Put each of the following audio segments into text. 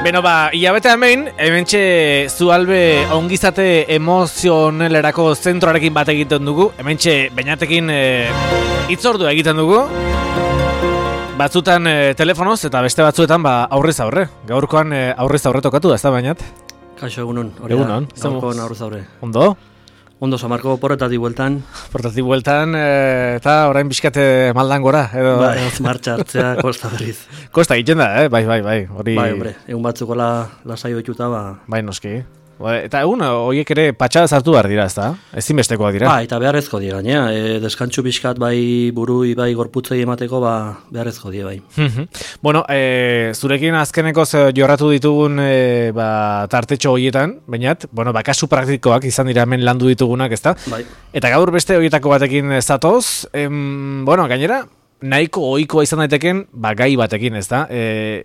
Beno hilabete hementxe Zualbe ongizate emozionelerako zentroarekin bat egiten dugu. Hementxe Beñatekin hitzordua egiten dugu. Batzutan telefonoz eta beste batzuetan aurrez aurre. Gaurkoan aurrez aurre tokatu da, ez da Beñat? Kaixo egunon. Egunon. Gaurkoan aurrez aurre. Ondo? Ondo, Samarko porretatik bueltan. Porretatik bueltan eta orain bizkate maldan gora. Bai, martxa hartzea kosta berriz. Kosta egiten da, bai. Hori... Bai, hombre, egun batzuko lasai oituta, Bai, noski. Eta egun horiek ere patxada zartu behar dira, ez da? Ezinbestekoak dira. Eta beharrezko dira, gaina. Deskantxu bizkat bai burui, bai gorputzei emateko, beharrezko dira, bai. Bueno, zurekin azkenekoz jorratu ditugun tartetxo horietan, bainat, kasu praktikoak izan dira hemen landu ditugunak, ez da? Bai. Eta gaur beste horietako batekin zatoz, gainera, nahiko ohikoa izan daiteken, gai batekin, ez da?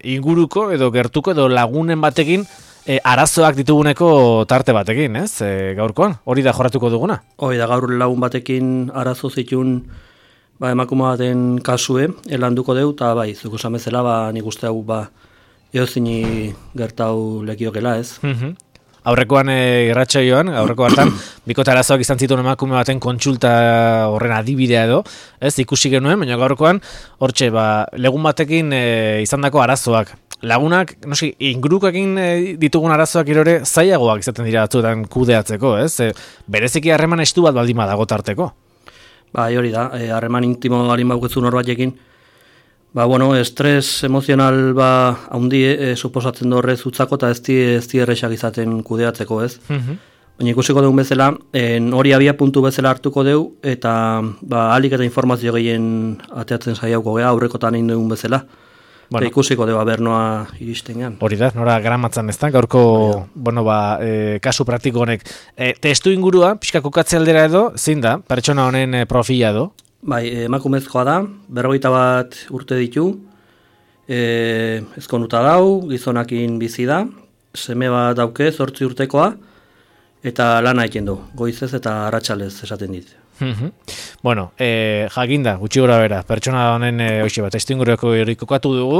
Inguruko edo gertuko edo lagunen batekin, arazoak dituguneko tarte batekin, ez? Gaurkoan, hori da jorratuko duguna? Hori da, gaur lagun batekin arazo zitun emakume baten kasue, landuko deu, eta bai, zuko samezela, nik uste hau, eozini gertau lekiokela, ez? Aurrekoan irratsaioan, aurreko hartan, bikote arazoak izan zituen emakume baten kontsulta horren adibidea edo, ez? Ikusi genuen, baina gaurkoan, hortxe, legun batekin izandako arazoak. Lagunak, ingurukoekin ditugun arazoak irore zailagoak izaten dira batzuetan kudeatzeko, ez? Bereziki harreman estu bat baldin badago tarteko. Hori da, harreman intimo balin baukezu norbaitekin. Estres emozional haundi suposatzen horrez utzako eta ez di errexak izaten kudeatzeko, ez? Baina ikusiko dugun bezala, hori abia puntu bezala hartuko deu, eta alik eta informazio gehien ateatzen saiauko gea, aurrekotan egin dugun bezala. Eta ikusiko dugu bernoa iristen gean. Hori da, nora gramatzen ez da, gaurko kasu praktiko honek. Testu ingurua, pixka kokatze aldera edo, zein da, pertsona honen profila edo? Bai, emakumezkoa da, 41 urte ditu, ezkonuta dau, gizonakin bizi da, seme bat dauke, 8 urtekoa, eta lana egiten du, goizez eta arratsalez esaten dit. Jakinda, gutxi gora bera, pertsona honen testu ingureko kokatu dugu.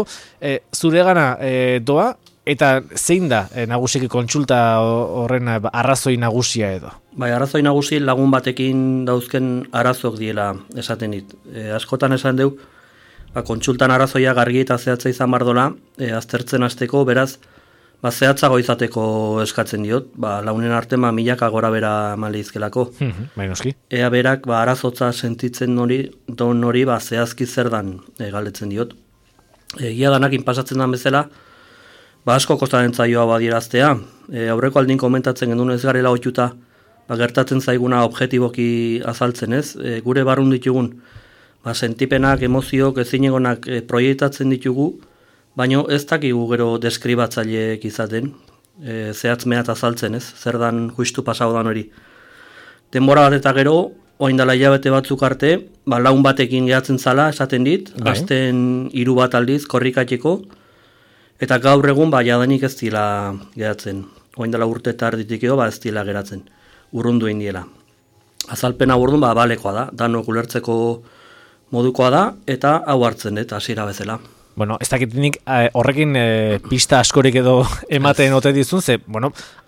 Zure gana doa, eta zein da nagusiki kontsulta horren arrazoi nagusia edo? Bai, arrazoi nagusi lagun batekin dauzken arazok diela esaten dit. Askotan esan deu, kontsultan arrazoia gargi eta zehatza izan bardola, aztertzen hasteko, beraz, zehatzago izateko eskatzen diot, launen arte milaka gora bera maleizkelako. Bainoski. Ea berak arazotza sentitzen hori zehazki zer dan galdetzen diot. Egia danakin pasatzen dan bezala, asko kostaren zaioa badieraztea. Aurreko aldin komentatzen gendun ez garela oituta, gertatzen zaiguna objetiboki azaltzen ez. Gure barrun ditugun, sentipenak, emoziok, ezinegonak proiektatzen ditugu, baina ez dakigu gero deskribatzaileek izaten, zehatz mehat azaltzen ez, zer dan justu pasaudan hori. Denbora bat eta gero, oindala hilabete batzuk arte, laun batekin gehatzen zala, esaten dit, azten 3 bat aldiz, korrikateko, eta gaur egun jadanik ez dila gehatzen. Oindala urte eta arditik edo, ez dila geratzen, urrundu indiela. Azalpena burdun, balekoa da, danok ulertzeko modukoa da, eta hau hartzen dut, hasiera bezala. Ez dakitinik horrekin pista askorik edo ematen ote dizun, ze,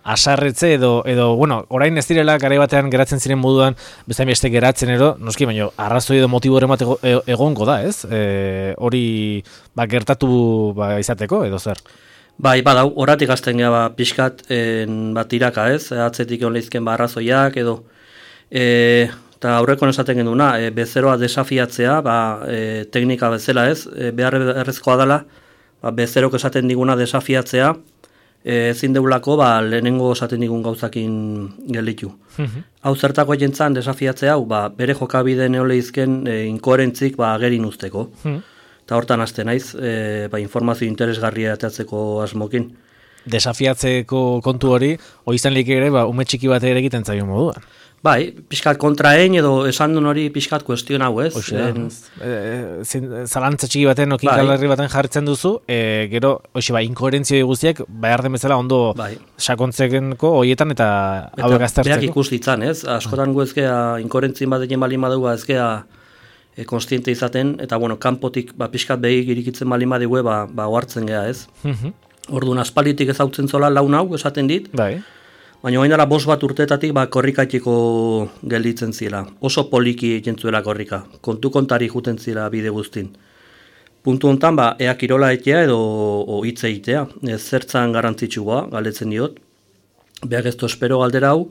asarretze edo, orain ez direla garai batean geratzen ziren moduan, bezain beste geratzen edo, noski, baina arrazoi edo motibo emateko egongo da, ez? Hori gertatu izateko edo zer? Bai, badau, horatik azten gara pixkat tiraka, ez? Atzetik egon lehizken arrazoiak edo... Eta aurreko esaten genduna, bezeroa desafiatzea, teknika bezala ez, behar errezkoa dela, bezerok esaten diguna desafiatzea, ezin deulako lehenengo esaten digun gauzakin gelditu. Hau zertako jentzan desafiatzea, bere jokabide neoleizken inkoherentzik agerin usteko. Eta hortan hasten naiz, informazio interesgarria ateatzeko asmokin. Desafiatzeko kontu hori, izan lik ere, ume txiki bat ere egiten zaio moduan. Bai, pixkat kontraen edo esan duen hori pixkat kuestion hau, ez? Zalantza txiki baten, okinkalarri baten jartzen duzu, gero, inkoherentzio guztiak, behar den bezala ondo sakontzeko horietan eta hauek aztertzeko. Beak ikus ditzan, ez? Askotan gu ezkea inkoherentzien batekin balin badugu, ezkea konstiente izaten, eta kanpotik pixkat behik irikitzen balin badugu, ohartzen geha, ez? Orduan aspalditik ezautzen zola laun hau, esaten dit, Bai. baina orain dela 5 bat urtetatik korrikatiko gelditzen zila. Oso poliki egiten zuela korrika. Kontu kontari juten zila bide guztin. Puntu hontan, ea kirola etea edo hitz egitea. Zertzan garrantzitsua, galdetzen diot. Beak ez espero galdera hau,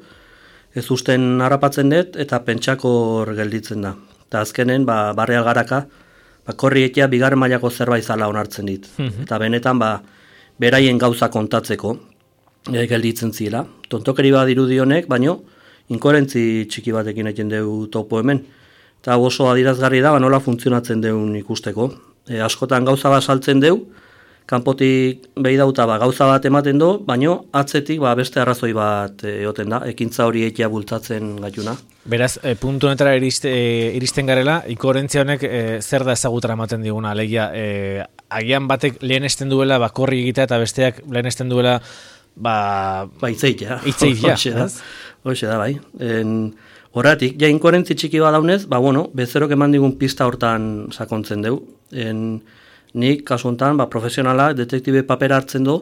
ez usten harrapatzen dut eta pentsakor gelditzen da. Eta azkenen, barre algaraka, korri etea bigarren mailako zerbait zala onartzen dit. Eta benetan, beraien gauza kontatzeko gelditzen zila. Tontokeri bat dirudionek, baino, inkoherentzi txiki batekin egiten dugu topo hemen. Eta oso adirazgarri da, nola funtzionatzen deun ikusteko. Askotan gauza bat saltzen deu, kanpotik behi dauta gauza bat ematen du, baino atzetik beste arrazoi bat egoten da, ekintza hori ekia bultzatzen gaituna. Beraz, puntu honetara iristen garela, inkoherentzia honek zer da ezagutara ematen diguna, alegia, agian batek lehenesten duela korri egitea eta besteak lehenesten duela hitzeitea. Hoxe da, bai. Horratik, inkoherentzi txiki bat daunez, bezerok eman digun pista hortan sakontzen deu. Nik, kasu honetan, profesionala, detektibe papera hartzen du,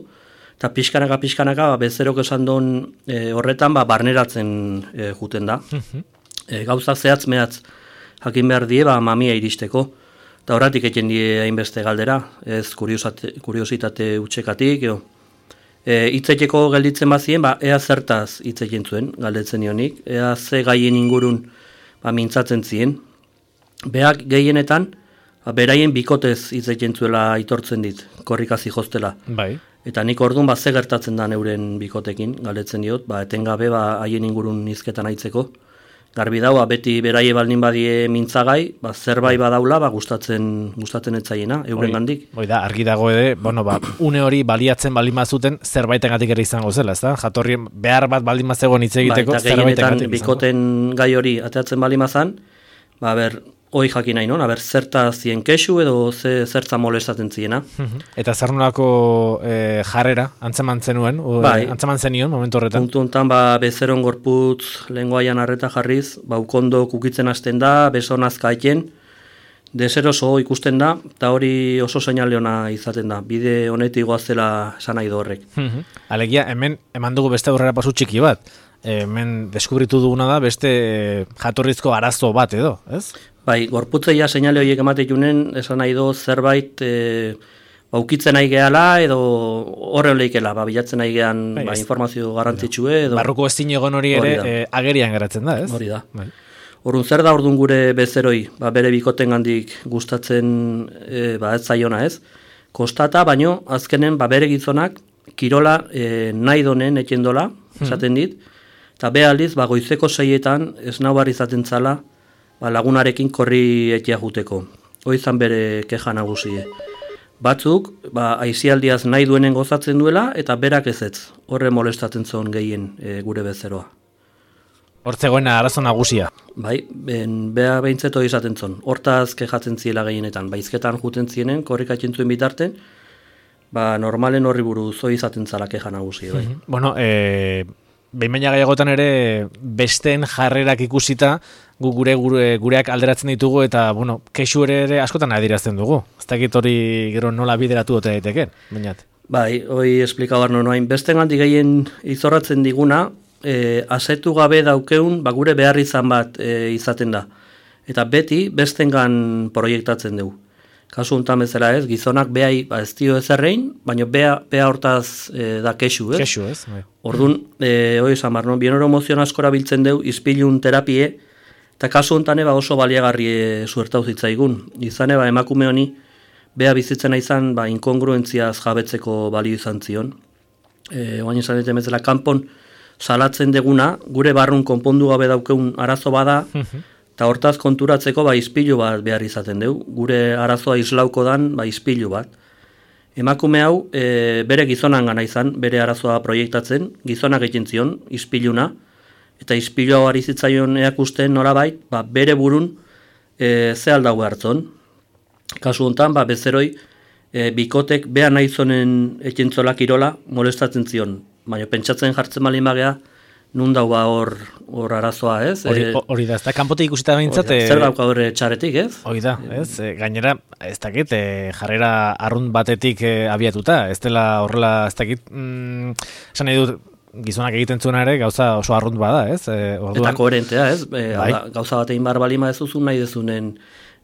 eta pixkanaka, bezerok esan duen horretan, barneratzen juten da. Gauza zehatz mehatz jakin behar die, mamia iristeko. Eta horratik eken die hainbeste galdera, ez kuriositate utxekatik, hitzeteko gelditzen bazien, ea zertaz hitzeken zuen, galdetzen nionik, ea ze gaien ingurun mintzatzen zien. Beak gehienetan, beraien bikotez hitzeken zuela aitortzen dit, korrikazi jostela. Bai. Eta nik orduan ze gertatzen da euren bikotekin, galdetzen diot, etengabe haien ingurun hizketan aitzeko. Garbi daua, beti beraie baldin badie mintzagai, zerbait badaula, gustatzen etzaiena, euren gandik. Da, argi dago ere, une hori baliatzen baldin bazuten, zerbaitengatik ere izango zela, ez da? Jatorrien behar bat baldin bazegoen hitz egiteko, zerbaitengatik izango. Bikoten gai hori ateatzen baldin bazan, hoi jakin nahi non, zerta zien kexu edo zertza molestatzen ziena. Eta zer nolako jarrera, antzeman zenuen, antzeman zenion, momentu horretan? Puntu honetan, bezeron gorputz lenguaian arreta jarriz, ukondo kukitzen hasten da, beso nazka eken, deseroso ikusten da, eta hori oso seinale ona izaten da, bide honetik goazela esan nahi du horrek. Alegia, hemen eman dugu beste aurrera pasu txiki bat, hemen deskubritu duguna da beste jatorrizko arazo bat edo, ez? Gorputzeia seinale horiek emateikunen, esan nahi du zerbait ukitzen nahi gehala edo horren lehikela, bilatzen nahi gehan informazio garrantzitsue. Barruko ezin egon hori ere agerian geratzen da, ez? Hori da. Orduan zer da orduan gure bezeroi, bere bikoten gandik gustatzen ez zaiona, ez? Kostata, baino, azkenen bere gizonak kirola nahi donen ekendola, esaten dit, eta aldiz, goizeko 6etan ez nau barri izaten zala, lagunarekin korri etia juteko. Hoizan bere keja nagusie. Batzuk, aizialdiaz nahi duenen gozatzen duela, eta berak ezetz. Horre molestatzen zuen gehien gure bezeroa. Hortzegoen arazo nagusia. Bea behintzeto izaten zuen. Hortaz kejatzen ziela gehienetan. Baizketan juten zienen, korrikatzen zuen bitarten, normalen horri buruz hoi izaten zala keja nagusia. Behin baina gehiagotan ere besteen jarrerak ikusita gureak alderatzen ditugu eta kexu ere askotan adirazten dugu. Ez dakit hori gero nola bideratu dute daiteken, bainat. Hoi esplika barno noain. Besteen gandik gehien izorratzen diguna, asetu gabe daukeun gure behar izan bat izaten da. Eta beti bestengan proiektatzen dugu. Kasu honetan bezala ez, gizonak behai ez dio ezerrein, baina beha hortaz da kexu, ez? Kexu, ez? Orduan, hori esan bar, bienoro emozion askora biltzen deu, izpilun terapie, eta kasu honetan oso baliagarri suertau zitzaigun. Izan emakume honi, beha bizitzena izan, inkongruentziaz jabetzeko balio izan zion. Oain izan dut bezala, kanpon salatzen deguna, gure barrun konpondu gabe daukeun arazo bada, eta hortaz konturatzeko izpilu bat behar izaten dugu. Gure arazoa islauko dan izpilu bat. Emakume hau bere gizonan gana izan, bere arazoa proiektatzen, gizonak egin zion, izpiluna, eta izpilu hau ari zitzaion eakusten norabait, bere burun ze aldau hartzon. Kasu honetan, bezeroi, bikotek beha nahi zonen ekintzola kirola molestatzen zion. Baina pentsatzen jartzen malin bagea, nun dau ba hor arazoa, ez? Hori da, ez da, kanpote ikusita behintzat... Zer dauka horre txaretik, ez? Hori da, ez? Gainera, ez dakit, jarrera arrunt batetik abiatuta, ez dela horrela, ez dakit, esan nahi dut, gizonak egiten zuena ere gauza oso arrunt bada, ez? Orduan... Eta koherentea, ez? Gauza bat egin bar balima ez duzun nahi dezunen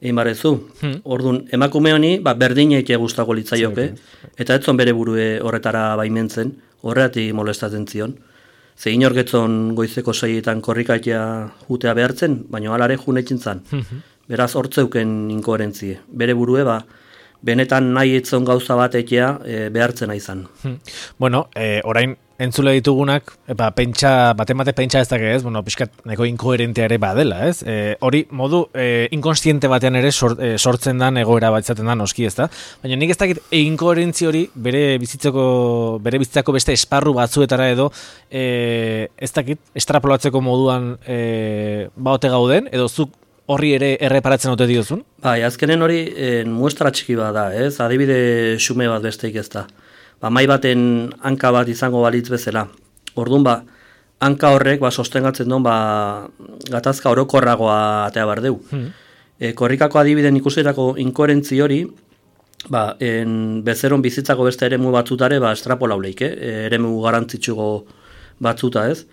egin bar ezu. Orduan, emakume honi, berdin eite guztako litzaioke, eta etzon bere burue horretara baimentzen, horreati molestatzen zion. Ze inorgetzon goizeko 6etan korrikatia jutea behartzen, baina alare junetzen zan. Beraz, hortzeuken inkoherentzie. Bere burue, benetan nahi etzon gauza bat etea behartzen izan. Bueno, orain entzule ditugunak, baten pentsa ez dake ez, pixkat neko inkoherentea ere badela, ez? Hori modu inkonstiente batean ere sortzen dan egoera bat izaten dan oski, ez da? Baina nik ez dakit inkoherentzi hori bere bizitzako beste esparru batzuetara edo ez dakit estrapolatzeko moduan baote gauden, edo zuk horri ere erreparatzen ote diozun? Azkenen hori muestra txiki bat da, ez? Adibide xume bat besteik ez da. Mai baten hanka bat izango balitz bezala. Orduan hanka horrek sostengatzen duen gatazka orokorragoa atea bar deu. Korrikako adibiden ikusitako inkoherentzi hori bezeron bizitzako beste eremu batzutare estrapolau leike, eremu garantzitsugo batzuta ez.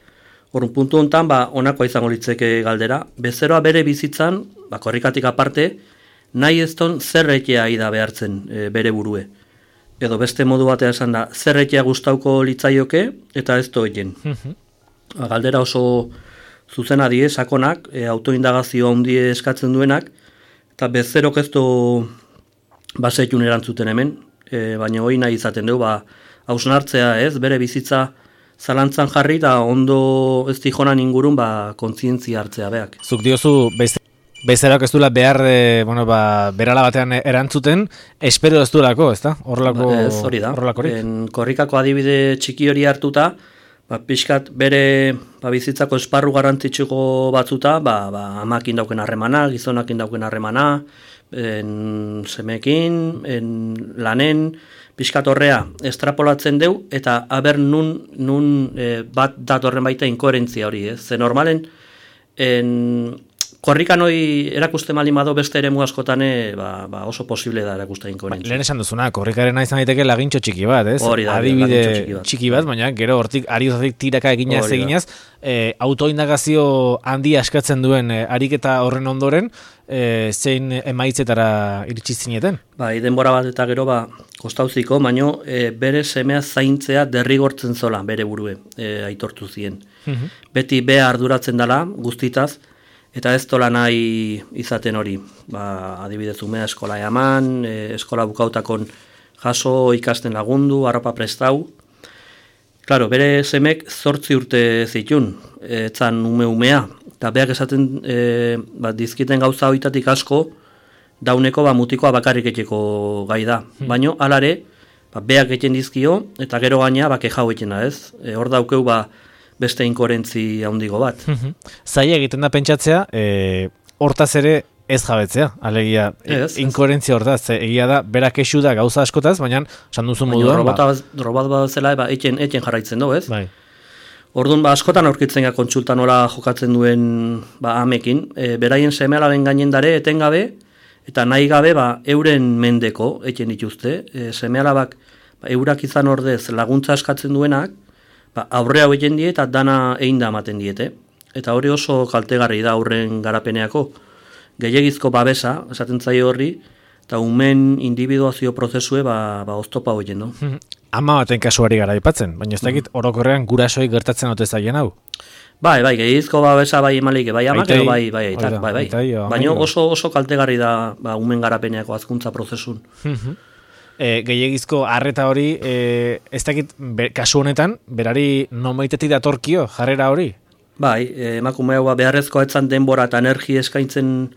Orduan puntu honetan honakoa izango litzeke galdera. Bezeroa bere bizitzan, korrikatik aparte, nahi ez ton zerretea ida behartzen bere burue. Edo beste modu batea esan da, zerretea gustauko litzaioke eta ez doegen. Galdera oso zuzena die, sakonak, autoindagazio handie eskatzen duenak, eta bezerok ez du basetun erantzuten hemen, baina hori nahi izaten dugu, hausnartzea ez, bere bizitza zalantzan jarri eta ondo ez dijonan ingurun kontzientzia hartzea beak. Zuk diozu bezerak ez duela behar berala batean erantzuten, espero ez duelako, ez da? Hori da. Korrikako adibide txiki hori hartuta, pixkat bere bizitzako esparru garrantzitsuko batzuta, amakin dauken harremana, gizonakin dauken harremana, semekin, lanen, pixkat horrea estrapolatzen deu, eta aber nun bat datorren baita inkoherentzia hori, ez? Ze normalen, korrikan hori erakuste malimado beste ere askotane oso posible da erakuste inkoherentzia. Lehen esan duzuna, korrikarena izan daiteke lagintxo txiki bat, ez? Hori da, adibide txiki bat, baina gero hortik ariozatik tiraka eginaz, autoindagazio handia eskatzen duen ariketa horren ondoren, zein emaitzetara iritsi zineten? Denbora bat eta gero kostauziko, baino bere semea zaintzea derrigortzen zola bere burue aitortu zien. Beti bea arduratzen dela guztitaz, eta ez tola nahi izaten hori. Adibidez umea eskola eman, eskola bukautakon jaso, ikasten lagundu, arropa prestau. Claro, bere semek 8 urte zitun, etzan umea. Eta beak esaten dizkiten gauza hoitatik asko, dauneko mutikoa bakarrik etxeko gai da. Baina, alare, beak eten dizkio, eta gero gaina keja hoetena ez. Hor daukeu beste inkoherentzi handigo bat. Zaila egiten da pentsatzea, hortaz ere ez jabetzea, alegia, inkoherentzia hortaz, egia da, berak esu da gauza askotaz, baina, esan duzun moduan... Robot bat zela, eten jarraitzen du, ez? Bai. Orduan, askotan aurkitzen kontsulta nola jokatzen duen amekin, beraien seme-alaben gainen dare, etengabe, eta nahi gabe, euren mendeko, eten dituzte, seme-alabak, eurak izan ordez laguntza eskatzen duenak, aurrea hoien die eta dana egin da ematen diete. Eta hori oso kaltegarri da aurren garapeneako. Gehiagizko babesa, esaten zaio horri, eta umen individuazio prozesue oztopa hoien, no? Ama baten kasuari gara aipatzen, baina ez dakit orokorrean gurasoi gertatzen ote zaien hau. Bai, gehiagizko babesa emalik, amak edo bai. Baina oso kaltegarri da umen garapeneako azkuntza prozesun. Gehiagizko arreta hori, ez dakit kasu honetan, berari nomaitetik datorkio jarrera hori? Bai, emakume hau beharrezkoa etzan denbora eta energi eskaintzen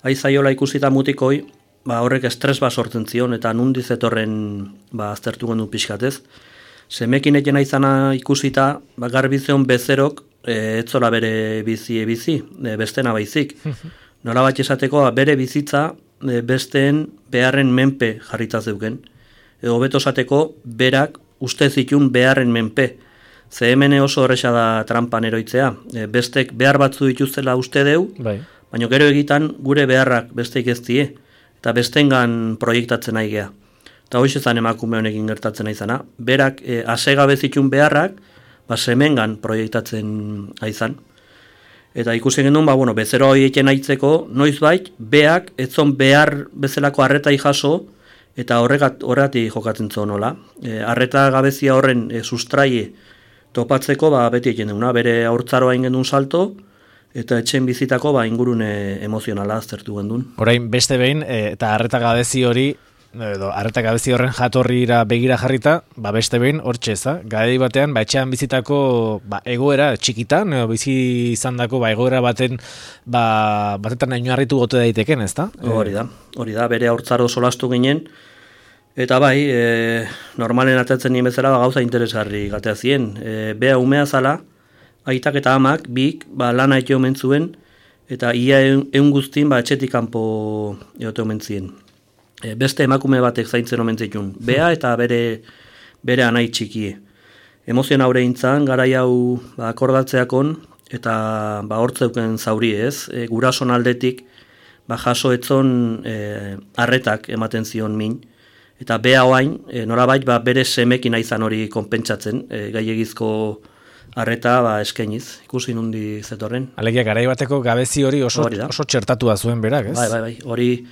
aizaiola ikusita mutikoi, horrek estres sortzen zion, eta nundiz etorren aztertu gendu pixkatez. Semekin egena izana ikusita, garbizion bezerok, etzola bere bizi, bestena baizik. Nola bat esateko, bere bizitza, besteen beharren menpe jarrita zeuken. Edo beto esateko, berak uste zitun beharren menpe Ze hemen oso horreza da trampan eroitzea. Bestek behar batzu dituztela uste deu, Bai. baina gero egitan gure beharrak besteik ez die, eta bestengan proiektatzen nahi gea. Eta hoxe zan emakume honekin gertatzen aizana. Berak asegabe zitun beharrak, semengan proiektatzen aizan. Eta ikusi genuen, bezero hori eken aitzeko, noizbait, beak, etzon behar bezalako arretai jaso, eta horregatik jokatzen zuen nola. Arreta gabezia horren sustraie topatzeko, beti eken duguna, bere haurtzaroa ingen duen salto, eta etxen bizitako ingurune emozionala aztertu gendun. Orain beste behin, eta arreta gabezi hori, edo arreta gabezi horren jatorrira begira jarrita, beste behin hortxe eza, garai batean, etxean bizitako egoera txikitan, edo bizi izandako egoera batetan oinarritu gote daiteken, ezta? Hori da, bere haurtzaro solastu ginen, eta normalen atatzen nien bezala gauza interesgarri gatea zien. Bea umea zala, aitak eta amak, bik, lana ete omen zuen, eta ia egun guztin etxetik kanpo egote omen zien. Beste emakume batek zaintzen omen zitun, bea eta bere anai txikie. Emozion aurre intzan, garai hau akordatzeakon, eta hortzeuken zauri ez, gurason aldetik jaso etzon arretak ematen zion min, eta bea oain, norabait bere semekin aizan hori konpentsatzen, gaiegizko arreta eskainiz, ikusi nundi zetorren. Alegia, garai bateko gabezi hori oso txertatua zuen berak, ez? Bai, hori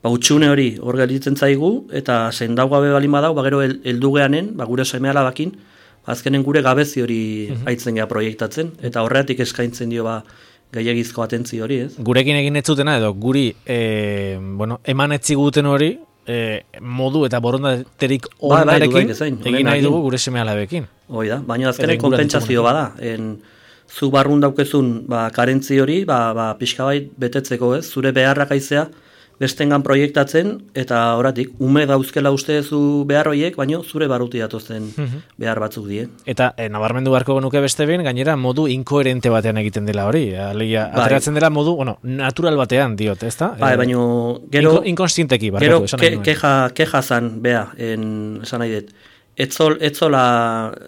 utxune hori hor gelditzen zaigu, eta zendau gabe balin badau, gero heldu geanen, gure seme alabakin, azkenen gure gabezi hori aitzen gea proiektatzen, eta horretik eskaintzen dio gaiegizko atentzio hori, ez? Gurekin egin ez zutena, edo guri eman etziguten hori, modu eta borondaterik onarekin egin nahi dugu gure seme alabekin. Hoi da, baina azkenen konpentsazio bada, zu barrun daukezun karentzi hori, pixka bai betetzeko, ez? Zure beharrak aizea, bestengan proiektatzen, eta horatik, ume dauzkela ustezu behar horiek, baino zure barruti datozen behar batzuk die. Eta nabarmendu beharko genuke beste behin, gainera modu inkoherente batean egiten dela hori. Alegia, ateratzen dela modu, natural batean diot, ezta? Baino, gero... Inkonstienteki, barkatu, esan nahi nuen. Keja zan, bea, esan nahi dut. Etzola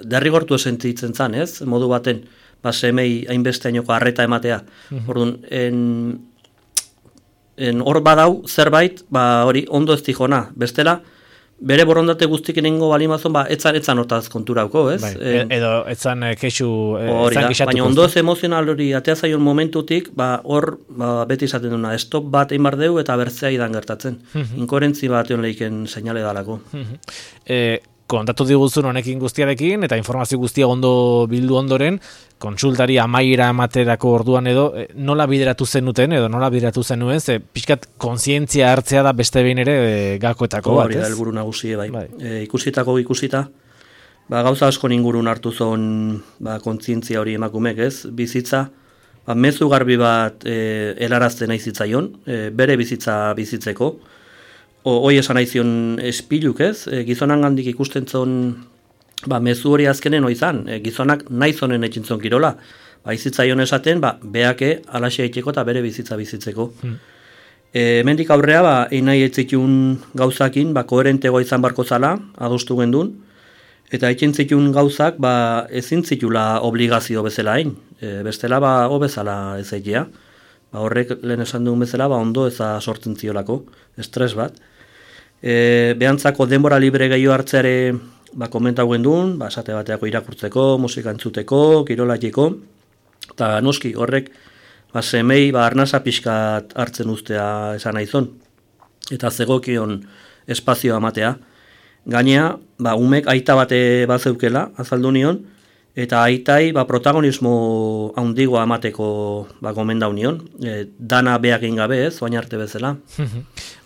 derrigortu sentitzen zan, ez? Modu baten, semei hainbesteainoko arreta ematea. Orduan, hor badau zerbait, hori ondo ez tijona. Bestela, bere borondate guztik inengo balimazon, etzan hortaz konturauko, ez? Edo etzan kexu, etzan gixatuko. Baina ondo ez emozional hori atea zaion momentutik, hor beti izaten duna, stop bat egin bar deu eta bertzea idan gertatzen. Inkoherentzi bat egon lehiken seinale dalako. Kontatu diguzun honekin guztiarekin, eta informazio guztia ondo bildu ondoren, kontsultari amaiera ematerako orduan edo, nola bideratu zenuten, edo nola bideratu zenuen, pixkat kontzientzia hartzea da beste behin ere gakoetako bat, ez? Hori da, helburu nagusie, bai. Ikusita, gauza asko ingurun hartu zon kontzientzia hori emakumek, ez? Bizitza, mezu garbi bat helarazten nahi zitzaion, bere bizitza bizitzeko, hoi esan aizion espiluk, ez? Gizonan gandik ikusten zon, mezu hori azkenen oizan, gizonak nahi zonen etxintzon kirola. Izitzaion esaten, beake alaxe eiteko eta bere bizitza bizitzeko. Mendik aurrea, egin nahi etzitun gauzakin, koherentego izan barko zala, adostu gendun, eta egin zitun gauzak, ezin zitula obligazio bezala hain. Bestela, bezala ez egitea. Horrek lehen esan dugun bezala, ondo eza sortzen ziolako, estres bat. Behantzako denbora libre gehiago hartzeare komentau gendun, esate bateako irakurtzeko, musika entzuteko, kirolatiko, eta noski horrek semei arnasa pixkat hartzen ustea esan naizon, eta zegokion espazioa amatea. Gainea, umek aita bate bazeukela, azaldu nion, eta aitai protagonismo handigoa amateko gomendau nion, dana beak gabe ez, oain arte bezala.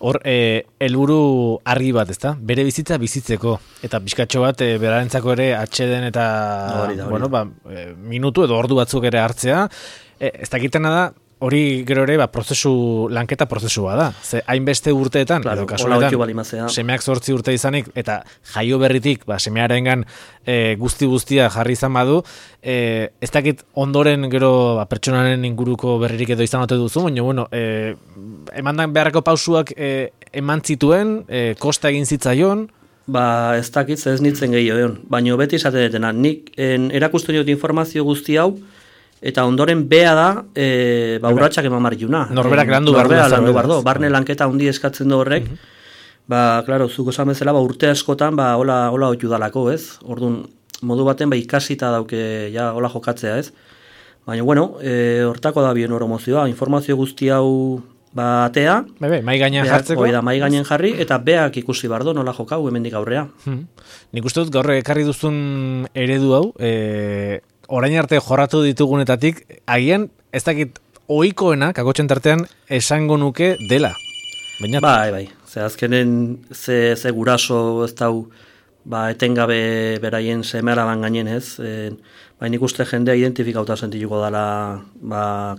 Hor, helburu argi bat, ezta? Bere bizitza bizitzeko, eta pixkatxo bat berarentzako ere atxeden eta minutu edo ordu batzuk ere hartzea, ez dakitena da, hori gero ere lanketa prozesua da. Ze hainbeste urteetan, edo kasualetan, semeak 8 urte izanik, eta jaio berritik, semearengan guztia jarri izan badu, ez dakit ondoren gero pertsonaren inguruko berririk edo izan ote duzu, baina, emandan beharreko pausuak eman zituen, kosta egin zitzaion. Ba, ez dakit, ez nintzen gehiago, baina beti esaten detena. Nik erakusten dut informazio guzti hau, eta ondoren bea da, urratxak eman marriuna. Norberak landu bardo. Barne lanketa handi eskatzen du horrek. Ba, klaro, zuko esan bezala, urte askotan, hola oitu dalako, ez? Orduan, modu baten, ikasita dauke, ja, hola jokatzea, ez? Baina, bueno, hortako da bioneuromozioa, informazio guzti hau atea. Mai gainean jartzeko. Hoi da, mai gainean jarri, eta beak ikusi bardo, nola jokau, hemendik aurrea. Nik uste dut, gaur ekarri duzun eredu hau, orain arte jorratu ditugunetatik, agian, ez dakit, ohikoena, kakotxen tartean, esango nuke dela. Baina... Bai. Ze azkenen, ze guraso ez dau, etengabe beraien seme-alaban gainen ez, nik uste jendea identifikauta sentituko dela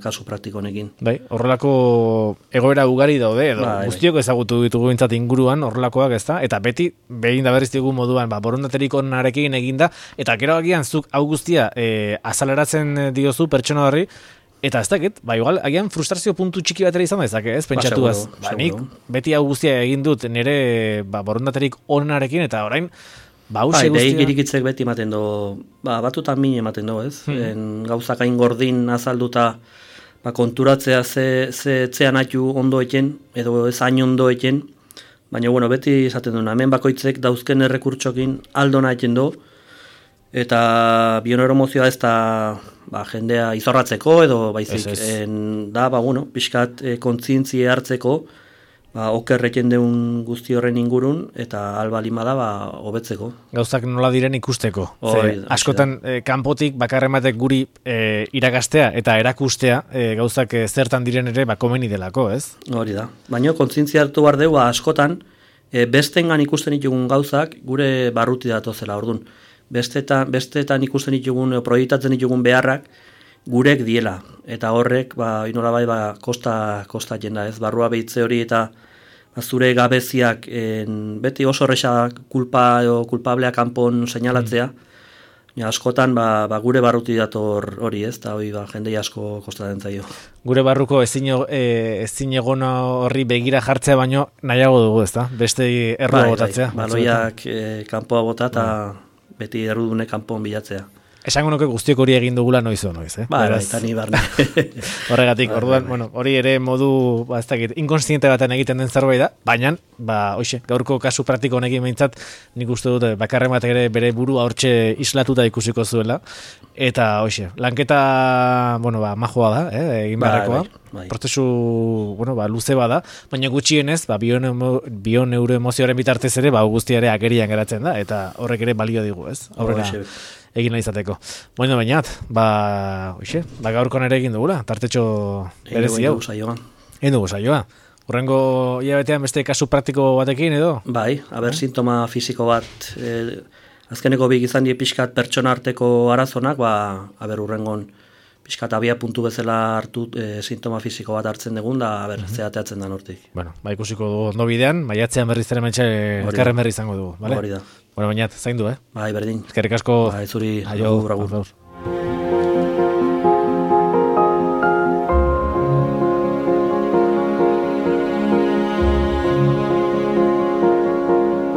kasu praktiko honekin. Bai, horrelako egoera ugari daude, edo guztiok ezagutu ditugu bintzat inguruan horrelakoak ez da, eta beti behin da berriz dugu moduan, borondaterik onarekin eginda, eta gero agian zuk hau guztia azaleratzen diozu pertsona horri, eta ez dakit, igual, agian frustrazio puntu txiki batera izan dezake, ez, pentsatuaz. Nik beti hau guztia egin dut nire borondaterik onarekin, eta orain, hause guztia... Deik irikitzek beti ematen do, batutan min ematen do, ez? Gauzak hain gordin azalduta, konturatzea ze txean atu ondo eken, edo ez hain ondo eken, baina, bueno, beti esaten duna, hemen bakoitzek dauzken errekurtsokin aldona eken do, eta bioneuromozioa ez da jendea izorratzeko edo baizik da, pixkat kontzientzia hartzeko okerreken deun guzti horren ingurun eta albalima da hobetzeko. Gauzak nola diren ikusteko. Askotan kanpotik bakarrematek guri irakastea eta erakustea gauzak zertan diren ere komeni delako, ez? Hori da. Baina kontzientzia hartu behar dugu askotan bestengan ikusten ditugun gauzak gure barruti datozela, orduan. Bestetan ikusten ditugun, proiektatzen ditugun beharrak, gurek diela. Eta horrek, inola kosta jenda, ez? Barrua behitze hori eta zure gabeziak beti oso horreza kulpablea kanpon seinalatzea. Askotan, gure barruti dator hori, ez? Eta hori jendei asko kostatzen zaio. Gure barruko ezin egon horri begira jartzea baino nahiago dugu, ez da? Beste errua botatzea. Baloiak kanpoa bota eta beti errudune kanpon bilatzea. Esango nuke guztiok hori egin dugula noiz, eh? Eta ni barne. Horregatik, orduan, hori ere modu, ez dakit, inkonstiente baten egiten den zerbait da, baina, gaurko kasu praktiko honekin behintzat, nik uste dut, bakarren bat ere bere burua hortxe islatuta ikusiko zuela, eta, lanketa, majoa da, egin beharrekoa, prozesu, luze bada, baina gutxienez, bioneuroemozioaren bitartez ere, guztia ere agerian geratzen da, eta horrek ere balio digu, ez? Horrela, egin nahi izateko. Bainat, gaurkoan ere egin dugula, tartetxo berezi hau. Egin dugu saioa. Horrengo hilabetean beste kasu praktiko batekin edo? Bai, sintoma fisiko bat, azkeneko bik izan die pixkat pertsona arteko arazonak, urrengon pixkat abia puntu bezala hartu sintoma fisiko bat hartzen dugun, da zeateatzen da nortik. Ikusiko dugu ondo bidean, maiatzean berriz ere mentxe elkarren berri izango dugu. Hori da. Bainat, zain du, Bai, berdin. Eskerrik asko. Bai, zuri. Aio.